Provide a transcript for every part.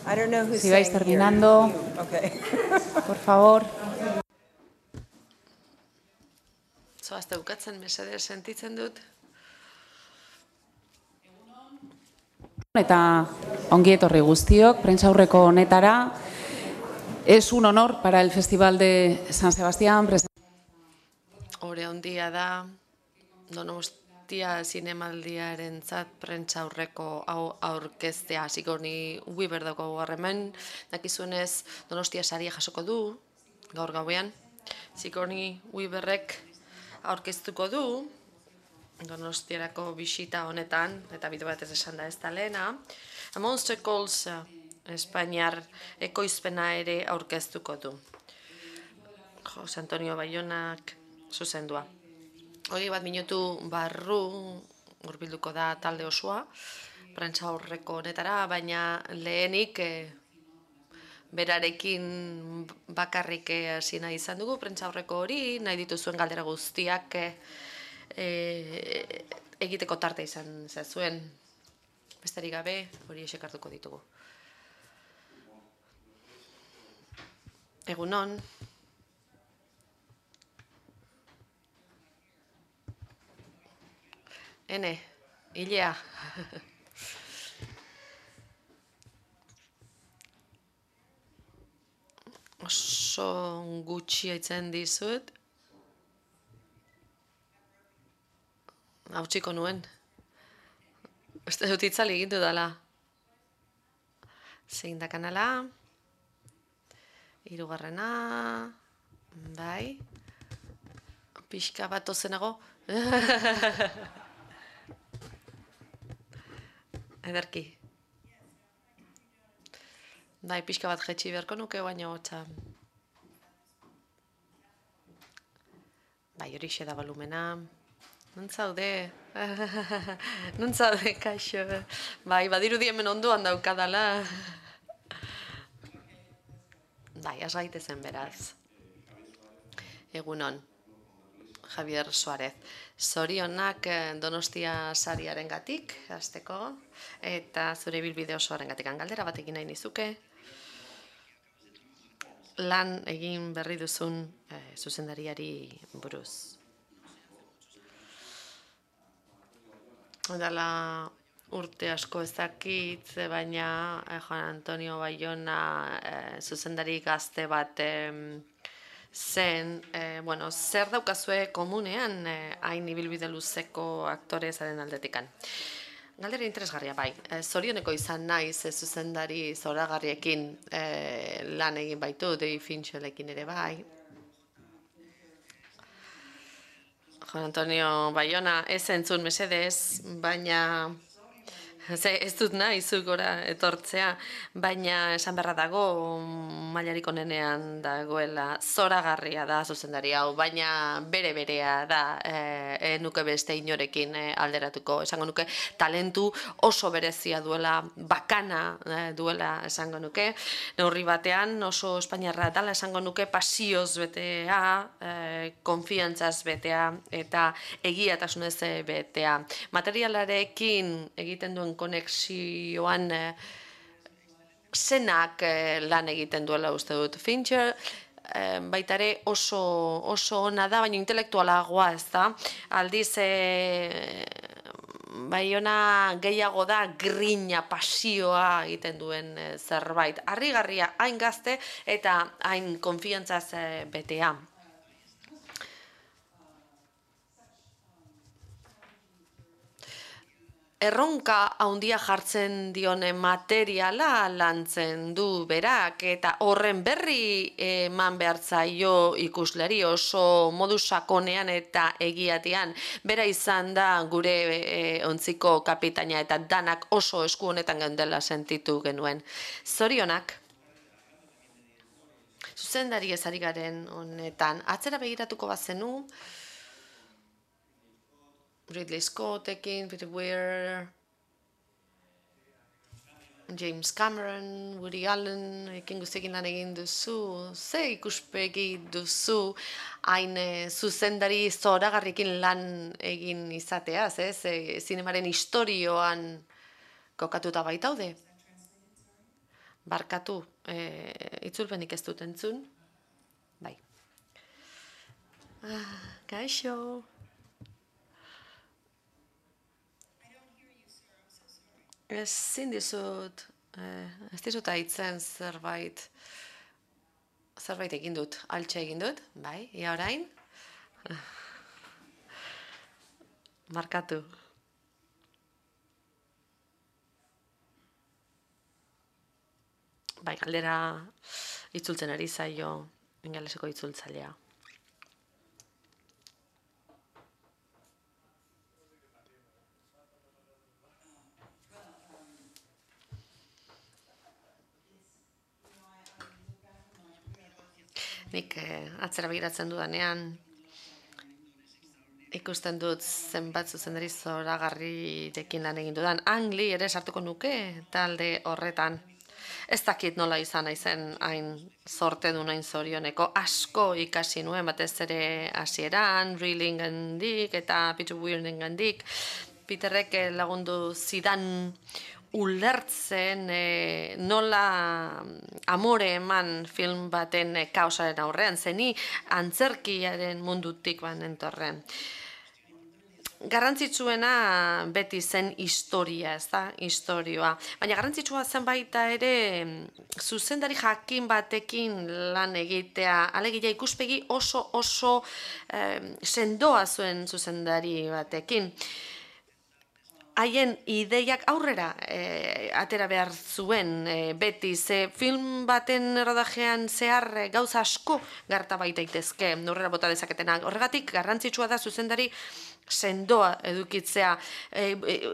I don't know who's Si vais saying here. terminando, You. Okay. por favor. Zoazte bukatzen, mesede sentitzen dut. Eta ongi etorri guztiok, prentsaurreko honetara. Es un honor para el Festival de San Sebastián. Hore handia da, Donostia zinemaldiarentzat prentsaurreko hau aurkeztea Sigourney Weaver dago hemen. Dakizuenez Donostia saria jasoko du gaur gauean. Sigourney Weaverrek aurkeztuko du Donostiarako bisita honetan, eta bide batez esan da ez da lehena. A Monster Calls Espainiar ekoizpena ere aurkeztuko du. Jose Antonio Baionak zuzendua. 21 minutu barru hurbilduko da talde osoa, prentsaurreko honetara, baina lehenik berarekin bakarrik hasi nahi izan dugu prentsaurreko hori, nahi dituzuen galdera guztiak egiteko tarte izan zuen. Besterik gabe hori esekartuko ditugu. Egunon. Ene, hilea. Oso gutxi aitzen dizut. Hautsiko nuen. Uste dut itzali egindu dela. Zein da kanala. 3. Bai. Pixka bat ozenago. Ederki. Bai, pixka bat jetxi beharko nuke, baina hotza. Bai, horixe da balumena. Non zaude? Non zaude, kaixo? Bai, badirudi hemen ondoan daukadala. Bai, has gaitezen beraz. Egunon, Javier Suárez. Zorionak Donostia sariarengatik, hasteko, eta zure ibilbide osoarengatik galdera bat egin nahi nizuke. Lan egin berri duzun zuzendariari buruz. Dala urte asko ezakit, baina Juan Antonio Bayona zuzendari gazte bat zen, zer daukazue komunean hain ibilbide luzeko aktore zaren aldetikan. Galdera interesgarria bai, zorioneko izan naiz zuzendari zoragarriekin lan egin baitu, David Finchelekin ere bai. Juan Antonio Bayona ez entzun mesedez, baina ez dut nahi zu gora etortzea, baina esan beharra dago mailarik onenean dagoela, zoragarria da zuzendari hau, baina bere-berea da, nuke beste inorekin alderatuko, esango nuke talentu oso berezia duela, bakana duela esango nuke, neurri batean oso espainiarra dela esango nuke pasioz betea, konfiantzaz betea eta egiatasunez betea. Materialarekin egiten duen konexioan zenak lan egiten duela uste dut. Fincher baitare oso ona da, baina intelektualagoa ez da. Aldiz Bayona gehiago da grina, pasioa egiten duen zerbait. Harrigarria hain gazte eta hain konfiantzaz betea. Erronka handia jartzen dione materiala lantzen du berak eta horren berri eman behartzaio ikusleri oso modu sakonean eta egiatean. Bera izan da gure ontziko kapitaina eta danak oso esku honetan geundela sentitu genuen. Zorionak. Zuzendari ezari garen honetan. Atzera begiratuko bazenu, Ridley Scottekin, Peter Weir, James Cameron, Woody Allen, ekin guztiekin lan egin duzu, ze ikuspegi duzu hain zuzendari zoragarrikin lan egin izateaz, zinemaren historioan kokatuta baitaude? Barkatu, itzulpenik ez dut entzun. Bai. Kaixo. Ezin dizut, ez dizut aitzen zerbait egin dut, altxe egin dut, bai, ia orain. Markatu. Bai, galdera itzultzen ari zaio ingeleseko itzultzailea. Nik atzera begiratzen dudanean ikusten dut zenbat zuzendari zoragarrirekin lan egin dudan. Ang Lee ere sartuko nuke talde horretan. Ez dakit nola izan naizen hain zortedun hain zorioneko. Asko ikasi nuen batez ere hasieran, Reelingandik eta Peter Weirdengandik. Peterrek lagundu zidan ulertzen nola amore eman film baten kaosaren aurrean, zeni antzerkiaren mundutik nentorren. Garrantzitsuena beti zen historia, ez da, historioa. Baina garrantzitsua zen baita ere zuzendari jakin batekin lan egitea, alegia ikuspegi oso sendoa zuen zuzendari batekin. Haien ideiak aurrera atera behar zuen beti, ze film baten rodajean zehar gauza asko gerta baitaitezke, aurrera bota dezaketenak. Horregatik garrantzitsua da zuzendari sendoa edukitzea,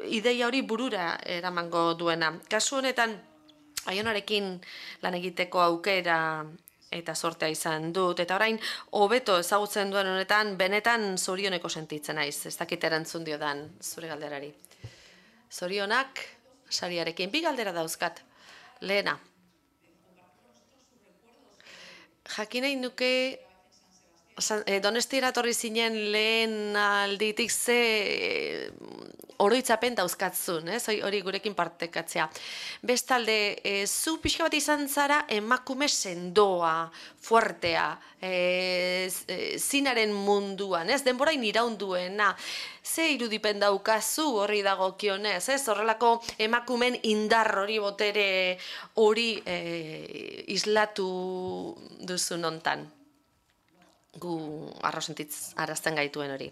ideia hori burura eramango duena. Kasu honetan, Baionarekin lan egiteko aukera eta sortea izan dut, eta orain hobeto ezagutzen duen honetan, benetan zorioneko sentitzen naiz, ez dakit erantzun diodan zure galderari. Zorionak sariarekin, bi galdera dauzkat. Lehena. Jakin nahi nuke, Donestira etorri zinen lehen alditik ze oroitzapen dauzkatzun, hori gurekin partekatzea. Bestalde, zu pixka bat izan zara emakume sendoa, fuertea, zinaren munduan, denborain iraunduena. Ze irudipen daukazu horri dagokionez, horrelako emakumen indar hori botere hori islatu duzu nontan. Gu arrosentitz arazten gaituen hori.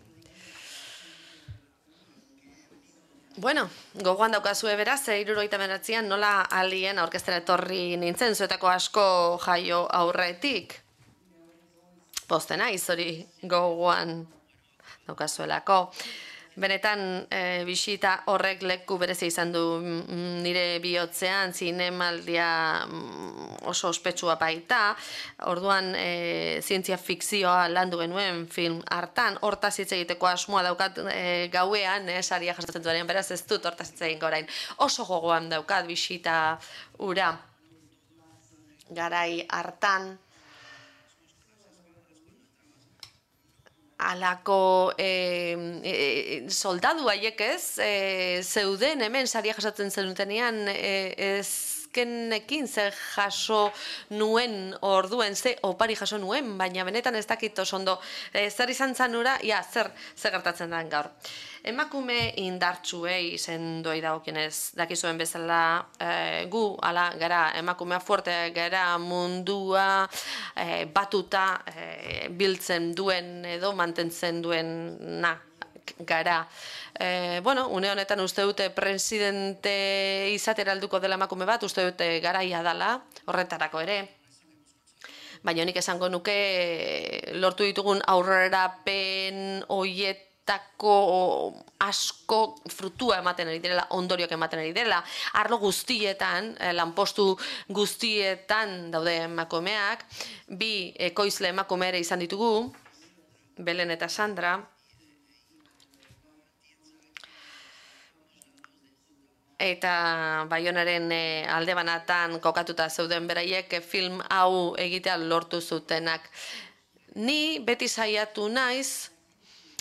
Bueno, gogoan daukazue beraz, 1979an nola Alien orkestera etorri nintzen, zuetako asko jaio aurretik. Pozten naiz hori gogoan daukazuelako. Benetan, bisita horrek leku berezi izan du nire bihotzean, zinemaldia oso ospetsua baita. Orduan, zientzia fikzioa landu genuen film hartan, hortaz hitz egiteko asmoa daukat gauean, saria jasotzen duenean, beraz ez dut hortaz hitz egin orain. Oso gogoan daukat bisita ura garai hartan. Alako soldadu haiek zeuden hemen saria jasatzen zenutenean ezkenekin ze jaso nuen orduen, ze opari jaso nuen, baina benetan ez dakit oso ondo zer izan zanura, zer gertatzen den gaur. Emakume indartsuei sendoei dagokienez dakizuen bezala gu ala gara emakumea fuerte gara mundua batuta biltzen duen edo mantentzen duena gara. Bueno, une honetan uste dute presidente izatera helduko dela emakume bat, uste dute garaia dela, horretarako ere. Baina nik esango nuke lortu ditugun aurrerapen hoietako asko frutua ematen ari direla, ondorioak ematen ari direla. Arlo guztietan, lanpostu guztietan daude emakumeak, bi ekoizle emakume ere izan ditugu, Belen eta Sandra, eta Baionaren alde banatan kokatuta zeuden beraiek film hau egitea lortu zutenak. Ni beti saiatu naiz,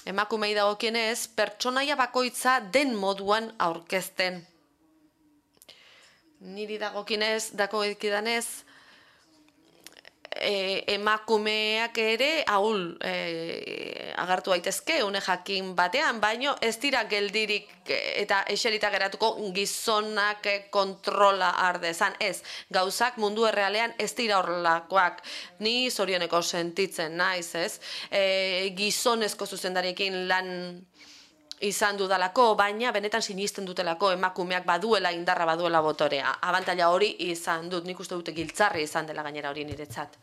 emakumei dagokienez, pertsonaia bakoitza den moduan aurkezten. niri dagokidanez, emakumeak ere ahul agertu daitezke une jakin batean, baino ez dira geldirik eta eserita geratuko gizonak kontrola har dezan. Ez, gauzak mundu errealean ez dira horrelakoak. Ni zorioneko sentitzen naiz, ez? Gizonezko zuzendariekin lan izan dudalako, baina benetan sinisten dutelako emakumeak baduela indarra, baduela botorea. Abantaila hori izan dut, nik uste dute giltzarri izan dela gainera hori niretzat.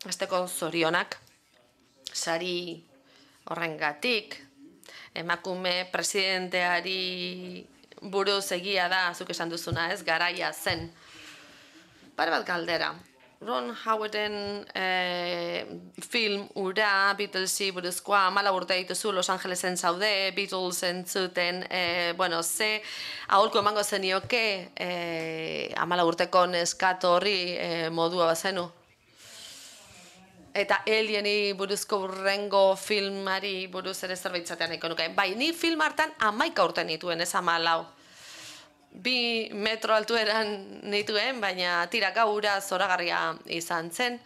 Azteko zorionak, sari horrengatik, emakume presidenteari buruz egia da, zuk esan duzuna, ez, garaia zen. Pare bat galdera. Ron Howarden film ura, Beatlesi buruzkoa, 14 urte dituzu, Los Angelesen zaude, Beatles entzuten, ze aholku emango zenioke 14 urteko neskato horri modua bazenu. Eta Alieni buruzko burrengo filmari buruz ere zerbait zatean nahiko nuke. Bai, ni film hartan 11 urte nituen, ez 14. 2 metro altueran nituen, baina tira gaura zoragarria izan zen.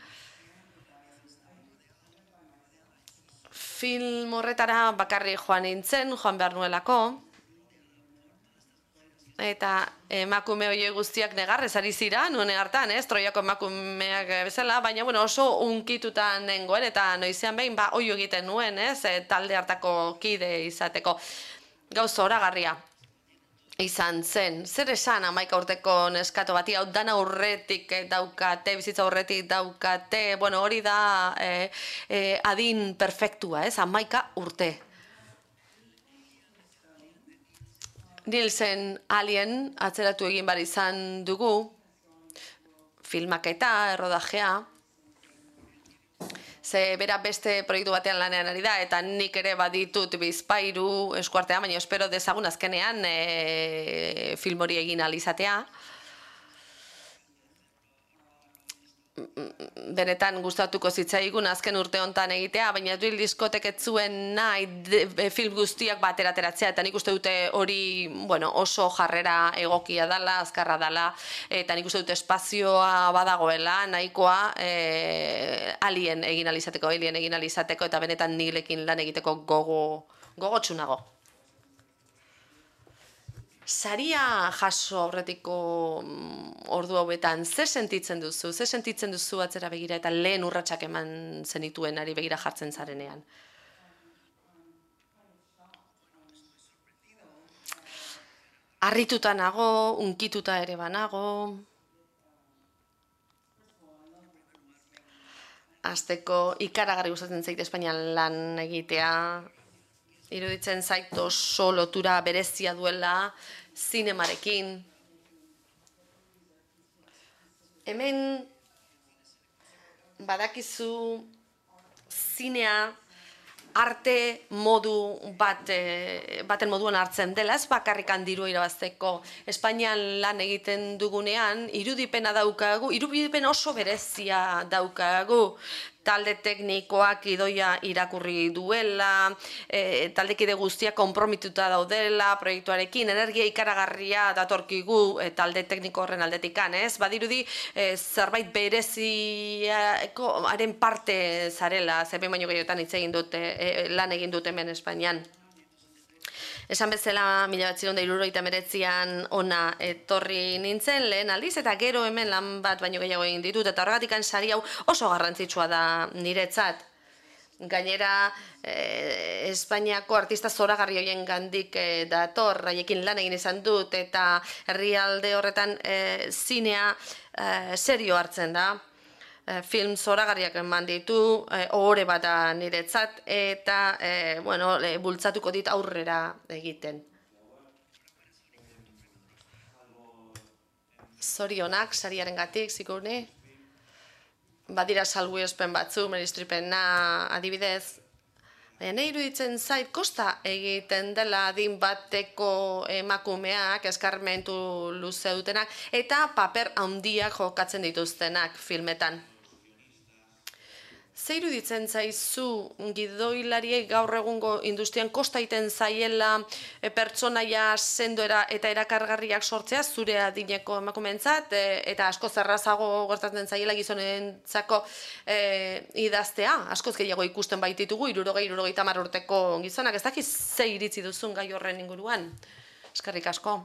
Film horretara bakarri joan nintzen, joan behar nuelako. Eta emakume horiek guztiak negarrez ari ziren, nuen hartan, Troiako emakumeak bezala, baina oso unkitutan nengoen, eta noizean behin oio egiten nuen, talde hartako kide izateko. Gauz zoragarria izan zen. Zer esan 11 urteko neskato bati, hau dana aurretik daukate, bizitza aurretik daukate, hori da adin perfektua, 11 urte. Nielsen Alien atzeratu egin bar izan dugu, filmaketa, errodajea, ze bera beste proiektu batean lanean ari da, eta nik ere baditut bizpahiru eskuartean, baina espero dezagun azkenean film hori egin ahal izatea. Benetan gustatuko zitzaigun azken urte hontan egitea, baina Thrill Diskotek ez zuen nahi film guztiak batera ateratzea, eta nik uste dute hori oso jarrera egokia dela, azkarra dela, eta nik uste dute espazioa badagoela, nahikoa Alien egin ahal izateko, eta benetan nirekin lan egiteko gogotsunago. Saria jaso aurretiko ordu hauetan, zer sentitzen duzu? Zer sentitzen duzu atzera begira eta lehen urratsak eman zenituen ari begira jartzen zarenean? Harrituta nago, unkituta ere banago. Hasteko ikaragarri gustatzen zait Espainian lan egitea. Iruditzen zait oso lotura berezia duela zinemarekin. Hemen badakizu zinea arte baten moduan hartzen dela, ez bakarrikan dirua irabazteko. Espainian lan egiten dugunean, irudipen oso berezia daukagu. Talde teknikoak idoia irakurri duela, taldekide guztiak konpromituta daudela proiektuarekin, energia ikaragarria datorkigu talde tekniko horren aldetikan, ez? Badirudi zerbait bereziaren parte zarela, zerbein baino gehiotan hitz egin dute, lan egin dute hemen Espainian. Esan bezala 1979an ona etorri nintzen lehen aldiz, eta gero hemen lan bat baino gehiago egin ditut, eta horregatik sari hau oso garrantzitsua da niretzat. Gainera, Espainiako artista zoragarri horien gandik dator, haiekin lan egin izan dut, eta herrialde horretan zinea serio hartzen da. Film zoragarriak eman ditu, ohore bat da niretzat, eta bultzatuko dit aurrera egiten. Zorionak, sariarengatik, zikurni. Badira salbuespen batzu, Meryl Streepena adibidez. Nahi iruditzen zait, kosta egiten dela adin bateko emakumeak, eskarmentu luze dutenak, eta paper handiak jokatzen dituztenak filmetan. Ze iruditzen zaizu gidoilariek gaur egungo industrian kosta egiten zaiela pertsonaia sendoera eta erakargarriak sortzea zure adineko emakumeentzat eta askoz errazago gertatzen zaiela gizonentzako idaztea, askoz gehiago ikusten baititugu 60-70 urteko gizonak, ez dakiz ze iritzi duzun gai horren inguruan. Eskerrik asko.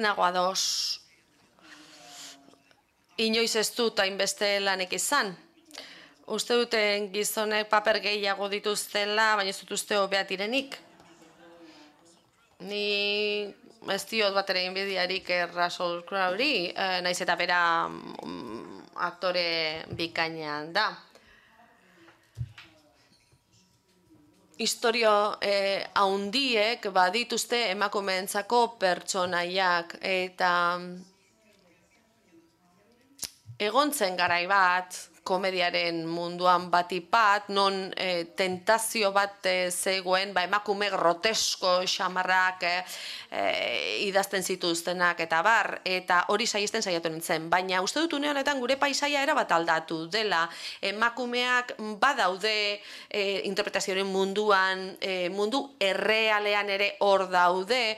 Nago ados. Inoiz ez dut hainbeste lanek izan. Uste duten gizonek paper gehiago dituztela, baina ez dut uste hobeak direnik. Ni ez diot bat ere inbidiarik Russell Crowe-ri, naiz eta bera aktore bikainean da. Historio haundiek badituzte emakumeentzako pertsonaiak eta egontzen garai bat komediaren munduan batipat, non tentazio bat zegoen emakume grotesko xamarrak idazten zituztenak eta bar, eta hori saiesten saiatu nintzen. Baina uste dut une honetan gure paisaia erabat aldatu dela. Emakumeak badaude interpretazioaren munduan, mundu errealean ere hor daude,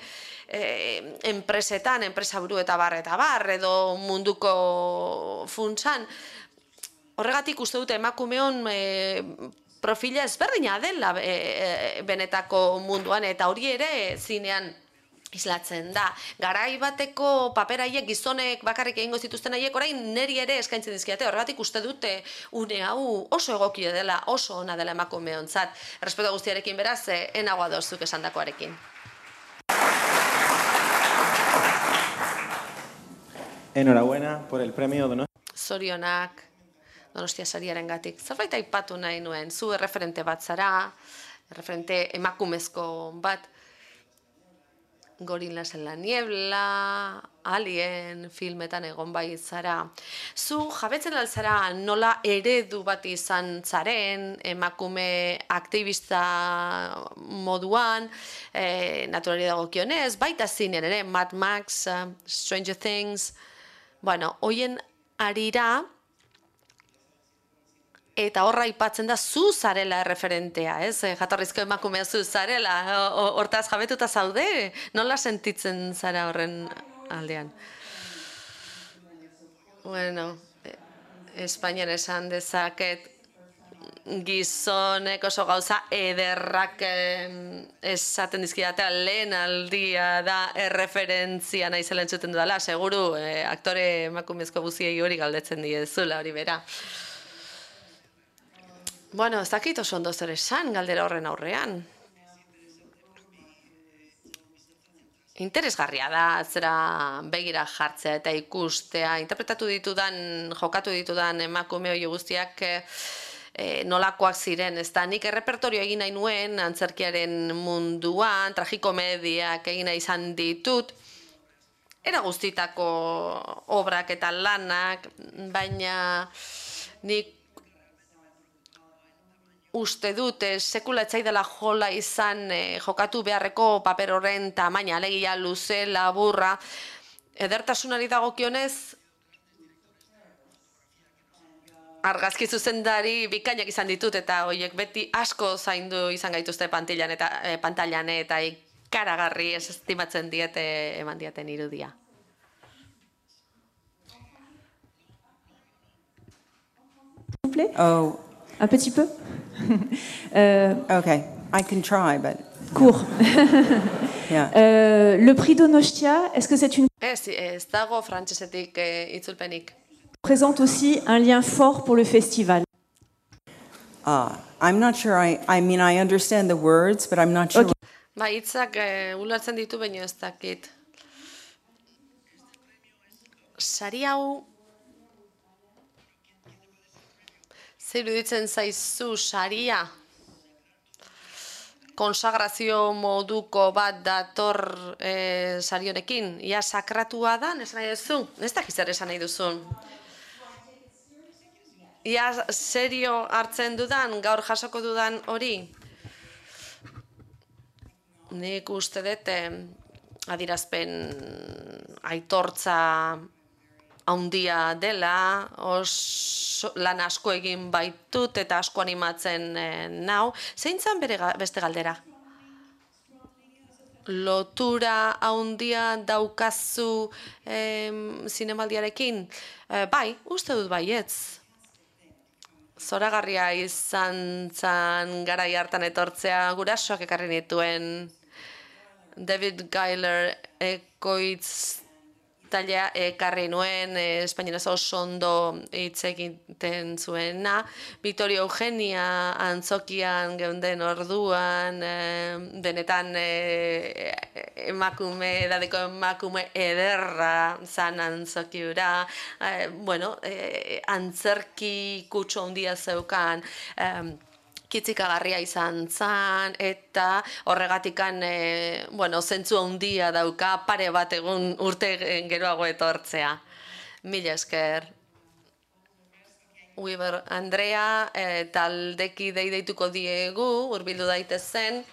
enpresetan, enpresaburu eta bar, edo munduko funtsan. Horregatik uste dute emakumeon profila ezberdina dela benetako munduan, eta hori ere zinean islatzen da. Garai bateko paperaiek gizonek bakarrik egingo zituzten haiek orain neri ere eskaintzen dizkiate. Horregatik uste dute une hau oso egokia dela, oso ona dela emakumeontzat. Errespetu guztiarekin beraz, enago adozuk esandakoarekin. Enhorabuena por el premio Donostia. Zorionak Donostia sariarengatik. Zerbait aipatu nahi nuen, zu erreferente bat zara, erreferente emakumezko bat, Gorilas en la niebla, Alien filmetan egon bai zara. Zu jabetzen alzara nola eredu bat izan zaren, emakume aktivista moduan, naturari dagokionez, baita zinen ere, Mad Max, Stranger Things, bueno, hoien arira, eta horra aipatzen da zu zarela erreferentea, ez? Jatorrizko emakumea zu zarela, hortaz jabetuta zaude, nola sentitzen zara horren aldean? Bueno, Espainian esan dezaket gizonek oso gauza ederrak esaten dizkidatea lehen aldia da erreferentzia naizela entzuten dudala, seguru aktore emakumezko guziei hori galdetzen diezula hori bera. Bueno, ez dakit oso ondo zer esan galdera horren aurrean. Interesgarria da, zera begira jartzea eta ikustea, interpretatu ditudan, jokatu ditudan emakume hori guztiak nolakoak ziren, ez da, nik errepertorio egin nahi nuen, antzerkiaren munduan, tragikomediak egin nahi izan ditut, era guztitako obrak eta lanak, baina nik uste dut sekula etzaidala jola izan jokatu beharreko paper horren tamaina, alegia luze, laburra, edertasunari dagokionez, argazki zuzendari bikainak izan ditut eta horiek beti asko zaindu izan gaituzte pantailan eta ikaragarri estimatzen diete eman diaten irudia. Oh. Un petit peu Okay, I can try, but... Court. Yeah. Le prix Donostia, est-ce que c'est une... Ez dago frantsesetik itzulpenik. Présente aussi un lien fort pour le festival. I'm not sure, I mean, I understand the words, but I'm not sure... Okay. Ba, hitzak ulertzen ditu, baino ez dakit. Sari hau... Zer iruditzen zaizu saria? Konsagrazio moduko bat dator sari honekin? Ia sakratua da, esan nahi duzu? Ez dakiz zer esan nahi duzun. Ia serio hartzen dudan, gaur jasoko dudan hori? Nik uste dut adirazpen aitortza haundia dela, lan asko egin baitut eta asko animatzen nau. Zein zan beste galdera? Lotura haundia daukazu zinemaldiarekin? Bai, uste dut baietz. Zoragarria izan zan garai hartan etortzea, gurasoak ekarri nituen David Giler ekoitz talea ekarri nuen, espainieraz oso ondo hitz egiten zuena. Victoria Eugenia antzokian geunden orduan, benetan edadeko emakume ederra zan antzokiura. Antzerki kutsu handia zeukan, kitzikagarria izan zan, eta horregatikan, zentzu handia dauka pare bat egun urte geroago etortzea. Mila esker. Weber Andrea, taldeki deituko diegu, hurbildu daitezen.